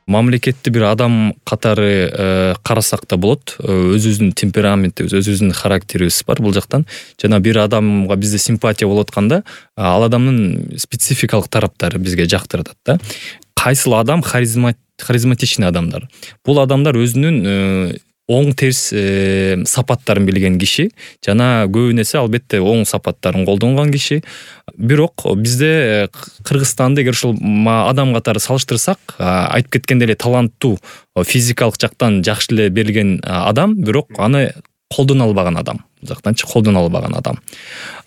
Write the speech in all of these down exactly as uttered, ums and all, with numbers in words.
мамлекетти бир адам катары карасак да болот. Өзүбүздүн темпераментибиз, өзүбүздүн характерибиз бар бул жактан. Жана бир адамга бизде симпатия болуп атканда, ал адамдын спецификалык тараптары бизге жактырат да. Кайсыл адам харизматичный адамдар. Бул адамдар өзүнүн оң терс э, сапаттарын билген киши жана көбүн эсе албетте оң сапаттарын колдонгон киши. Бирок бизде Кыргызстанды эгер ушул адам катары салыштырсак, айтып кеткендей эле таланттуу, физикалык жактан жакшы эле берилген адам, бирок аны колдоно албаган адам. Бул жактанчы колдоно албаган адам.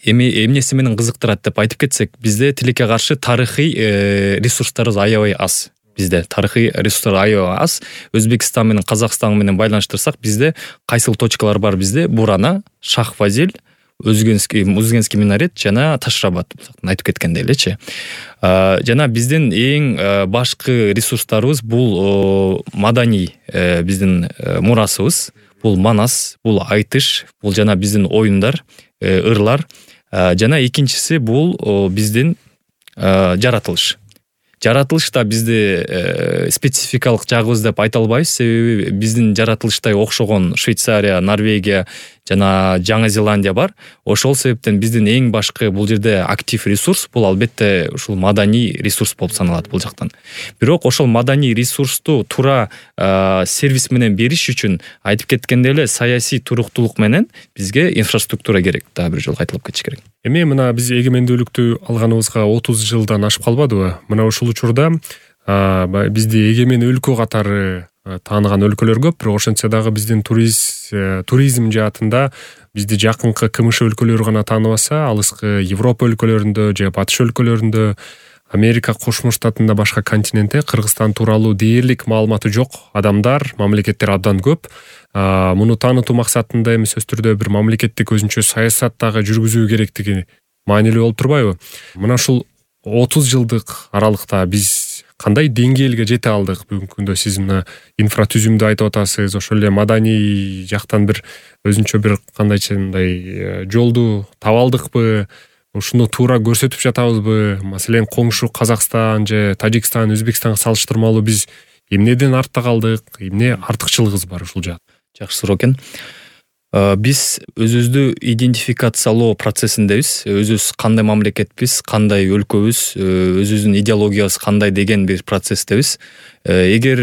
Эми эмнеси менен кызыктырат деп айтып кетсек, бизде тилекке каршы тарыхый э, ресурстарыбыз аябай аз. Бизде тарыхый ресурстар аябай аз. Өзбекстан менен Казакстан менен байланыштырсак, бизде кайсыл точкалар бар бизде? Бурана, Шах-Фазил, Өзгенский, Узгенский минарет жана Ташрабат айтып кеткендей элечи. Жана биздин эң башкы ресурстарыбыз бул маданий биздин мурасыбыз. Бул манас, бул айтыш, бул жана биздин оюндар, ырлар. Жана экинчиси бул биздин жаратылыш. Жаратылыш да бизде э, спецификалык жагыбыз деп айта албайбыз, себеби биздин жаратылыштай окшогон Швейцария, Норвегия жана Жаңы Зеландия бар. Ошол себептен биздин эң башкы бул жерде актив ресурс бул албетте ушул маданий ресурс болуп саналат бул жактан. Бирок ошол маданий ресурсту туура э, сервис менен бериш үчүн айтып кеткендей эле саясий туруктуулук менен бизге инфраструктура керек. Дагы бир жолу айтылып кетиш керек. Эми мына биз эгемендүүлүктү алганыбызга отуз жылдан ашып калбадыбы? Мына ушул учурда бизди эгемен өлкө катары тааныган өлкөлөр көп, бирок ошентсе дагы биздин туриз, туризм жаатында бизди жакынкы КМШ өлкөлөрү гана тааныбаса, алыскы Европа өлкөлөрүндө же Батыш өлкөлөрүндө, Америка Кошмо Штатында башка континентте Кыргызстан тууралуу дээрлик маалыматы жок адамдар, мамлекеттер абдан көп. Муну таанытуу максатында эми сөз түрдө бир мамлекеттик өзүнчө саясат дагы жүргүзүү керектиги маанилүү болуп турбайбы? Мына ушул отуз жылдык аралыкта биз кандай деңгээлге жете алдык? Бүгүнкү күндө сиз мына инфратүзүмдү айтып атасыз, ошол эле маданий жактан бир өзүнчө бир кандайчындай жолду таба алдыкпы? Ушуну туура көрсөтүп жатабызбы? Маселен, коңшу Казакстан же Тажикстан, Өзбекстанга салыштырмалуу биз эмнеден артта калдык? Эмне артыкчылыгыбыз бар ушул жакта? Жакшы суроо экен. Биз өзүбүздү идентификациялоо процессиндебиз. Өзүбүз кандай мамлекетпиз, кандай өлкөбүз, өзүбүздүн идеологиябыз кандай деген бир процесстебиз. Эгер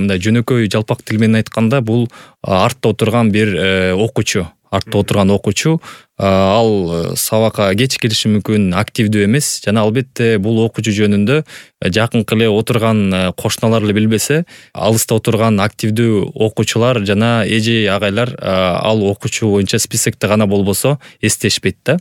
мындай жөнөкөй жалпак тил менен айтканда, бул артта отурган бир окуучу, артта отурган окуучу, ал сабакка кеч келиши мүмкүн, активдүү эмес, жана албетте бул окуучу жөнүндө жакынкы эле отурган кошуналар эле билбесе, алыста отурган активдүү окуучулар жана эже агайлар ал окуучу боюнча списокто гана болбосо эстешпейт да.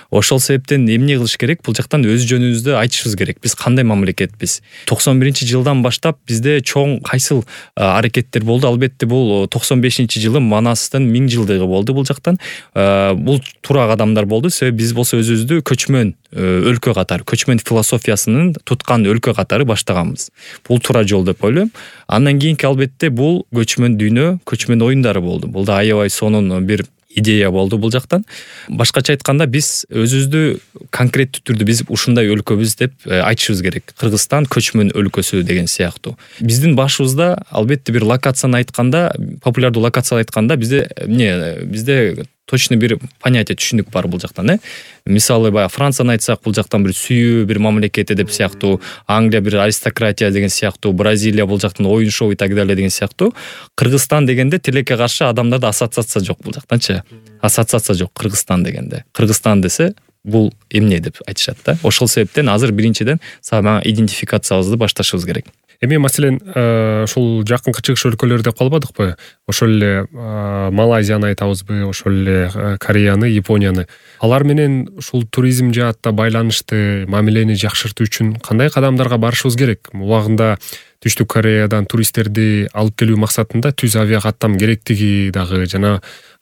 Ошол себептен эмне кылыш керек? Бул жактан өз жөнүбүздү айтышыбыз керек. Биз кандай мамлекетпиз? токсон биринчи жылдан баштап бизде чоң кайсыл аракеттер болду? Албетте бул токсон бешинчи жылы Манастын миң жылдыгы болду бул жактан. Бул туура кадамдар болду. Себеби биз болсо өзүбүздү көчмөн өлкө катары, көчмөн философиясынын туткан өлкө катары баштаганбыз. Бул туура жол деп ойлойм. Андан кийинки албетте бул көчмөн дүйнө, көчмөн оюндары болду. Бул да аябай сонун бир идея болду бул жактан. Башкача айтканда, биз өзүбүздү конкреттүү түрдө биз ушундай өлкөбүз деп айтышыбыз керек. Кыргызстан көчмөн өлкөсү деген сыяктуу. Биздин башыбызда албетте бир локацияны айтканда, популярдуу локацияны айтканда бизде эмне, бизде точно бир понятие, түшүнүк бар бул жактан, э? Мисалы, баягы Францияны айтсак, бул жактан бир сүйүү бир мамлекет деп сыяктуу, Англия бир аристократия деген сыяктуу, Бразилия бул жактан оюн шоу и так далее деген сыяктуу. Кыргызстан дегенде тилекке каршы адамдарда ассоциация жок бул жактанчы. Ассоциация жок Кыргызстан дегенде. Кыргызстан десе бул эмне деп айтышат да. Ошол себептен азыр биринчиден сага идентификациябызды башташыбыз керек. Эми маселен, ушул жакынкы чыгыш өлкөлөр деп калбадыкпы? Ошол эле Малайзияны айтабызбы, ошол эле Кореяны, Японияны. Алар менен ушул туризм жаатта байланышты мамилени жакшыртуу үчүн кандай кадамдарга барышыбыз керек? Убагында Түштүк Кореядан туристтерди алып келүү максатында түз авиа каттам керектиги дагы жана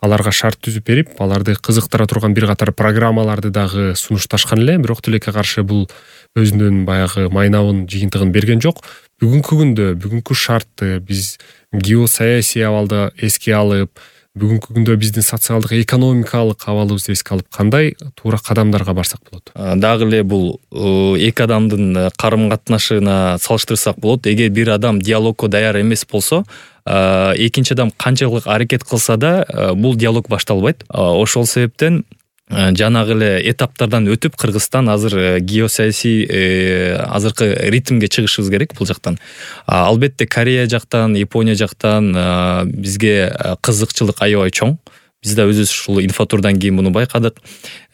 аларга шарт түзүп берип, аларды кызыктыра турган бир катар программаларды дагы сунушташкан эле, бирок тилекке каршы бул өзүнүн баягы майнабын, жыйынтыгын берген жок. Бүгүнкү күндө, бүгүнкү шартты биз геосаясий абалды эске алып, бүгүнкү күндө биздин социалдык экономикалык абалыбызды эске алып кандай туура кадамдарга барсак болот? Дагы эле бул эки адамдын карым катнашына салыштырсак болот. Эгер бир адам диалогко даяр эмес болсо, экинчи адам канчалык аракет кылса да бул диалог башталбайт. Ошол себептен жанагы эле этаптардан өтүп Кыргызстан азыр геосаясий азыркы ритмге чыгышыбыз керек бул жактан. Албетте Корея жактан, Япония жактан бизге кызыкчылык аябай чоң. Биз да өзүбүз ушул инфотурдан кийин муну байкадык.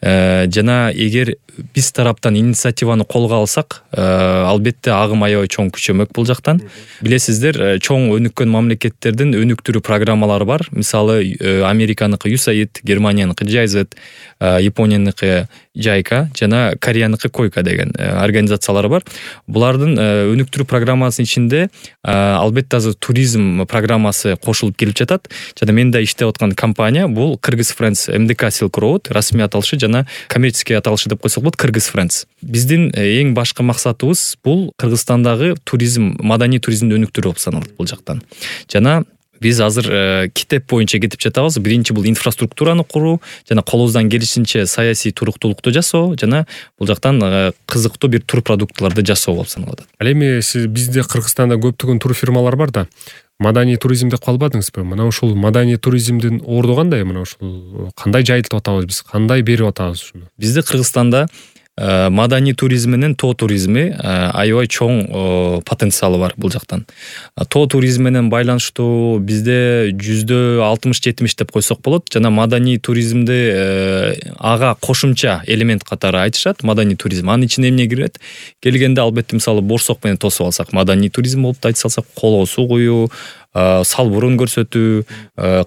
Жана эгер биз тараптан инициативаны колго алсак, албетте агым аябай чоң күчөмөк бул жактан. Билесиздер, чоң өнүккөн мамлекеттердин өнүктүрүү программалары бар. Мисалы, Американыкы ю эс эй ай ди, Германияныкы джи ай зет, Японияныкы жайка жана Кореяныкы койка деген организациялар бар. Булардын өнүктүрүү программасынын ичинде албетте азыр туризм программасы кошулуп келип жатат. Жана мен да иштеп аткан компания бул Kyrgyz Friends эм дэ ка Silk Road, расмий аталышы жана коммерческий аталышы деп койсок болот, Kyrgyz Friends. Биздин эң башкы максатыбыз бул Кыргызстандагы туризм, маданий туризмди өнүктүрүү болуп саналат бул жактан. Жана биз азыр китеп боюнча кетип жатабыз. Биринчи бул инфраструктураны куруу жана колубуздан келишинче саясий туруктуулукту жасоо жана бул жактан кызыктуу бир тур продуктларды жасоо болуп саналат. Ал эми сиз бизде Кыргызстанда көптөгөн тур фирмалар бар да, маданий туризм деп калбадыңызбы? Мына ушул маданий туризмдин орду кандай? Мына ушул кандай жайылтып атабыз биз? Кандай берип атабыз ушуну? Бизде Кыргызстанда маданий туризм менен тоо туризми аябай чоң потенциалы бар бул жактан. Тоо туризм менен байланыштуу бизде жүздө алтымыш жетимиш деп койсок болот. Жана маданий туризмди ага кошумча элемент катары айтышат. Маданий туризм анын ичине эмне кирет? Келгенде албетте мисалы борсок менен тосуп алсак, маданий туризм болуп да айта салсак, колго суу куюу, салбурун көрсөтүү,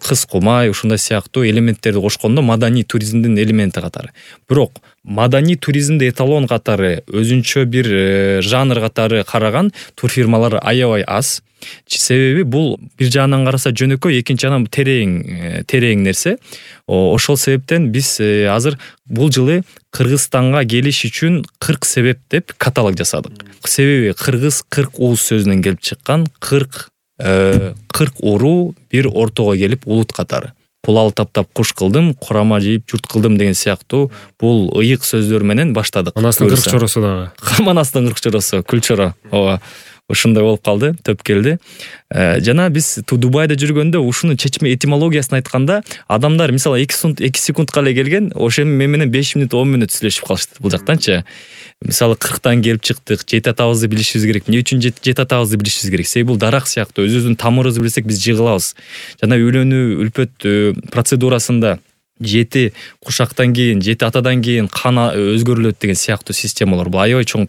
кыз кумай ушундай сыяктуу элементтерди кошкондо маданий туризмдин элементи катары. Бирок маданий туризмди эталон катары, өзүнчө бир жанр катары караган турфирмалар аябай аз. Себеби бул бир жагынан караса жөнөкөй, экинчи жагынан терең терең нерсе. Ошол себептен биз азыр бул жылы Кыргызстанга келиш үчүн кырк себеп деп каталог жасадык. Себеби кыргыз кырк ууз сөзүнөн келип чыккан, кырк кырк уруу бир ортого келип улут катары. Кулал таптап куш кылдым, курама жийип журт кылдым деген сыяктуу бул ыйык сөздөр менен баштадык. Манастын кырк чоросу дагы. Манастын кырк чоросу, күлчоро. Ооба. Ушундай болуп калды, төп келди. Жана биз Дубайда жүргөндө ушунун чечме этимологиясын айтканда, адамдар мисалы эки секундка эле келген, ошо мен менен беш мүнөт он мүнөт сүйлөшүп калышты бул жактанчы. Мисалы кырктан келип чыктык, жети атабызды билишибиз керек. Эмне үчүн жети атабызды билишибиз керек? Себеби бул дарак сыяктуу, өзүбүздүн тамырыбызды билсек биз жыгылабыз. Жана үйлөнүү, үлпөт процедурасында жети кушактан кийин, жети атадан кийин кан өзгөрүлөт деген сыяктуу системалар. Бул аябай чоң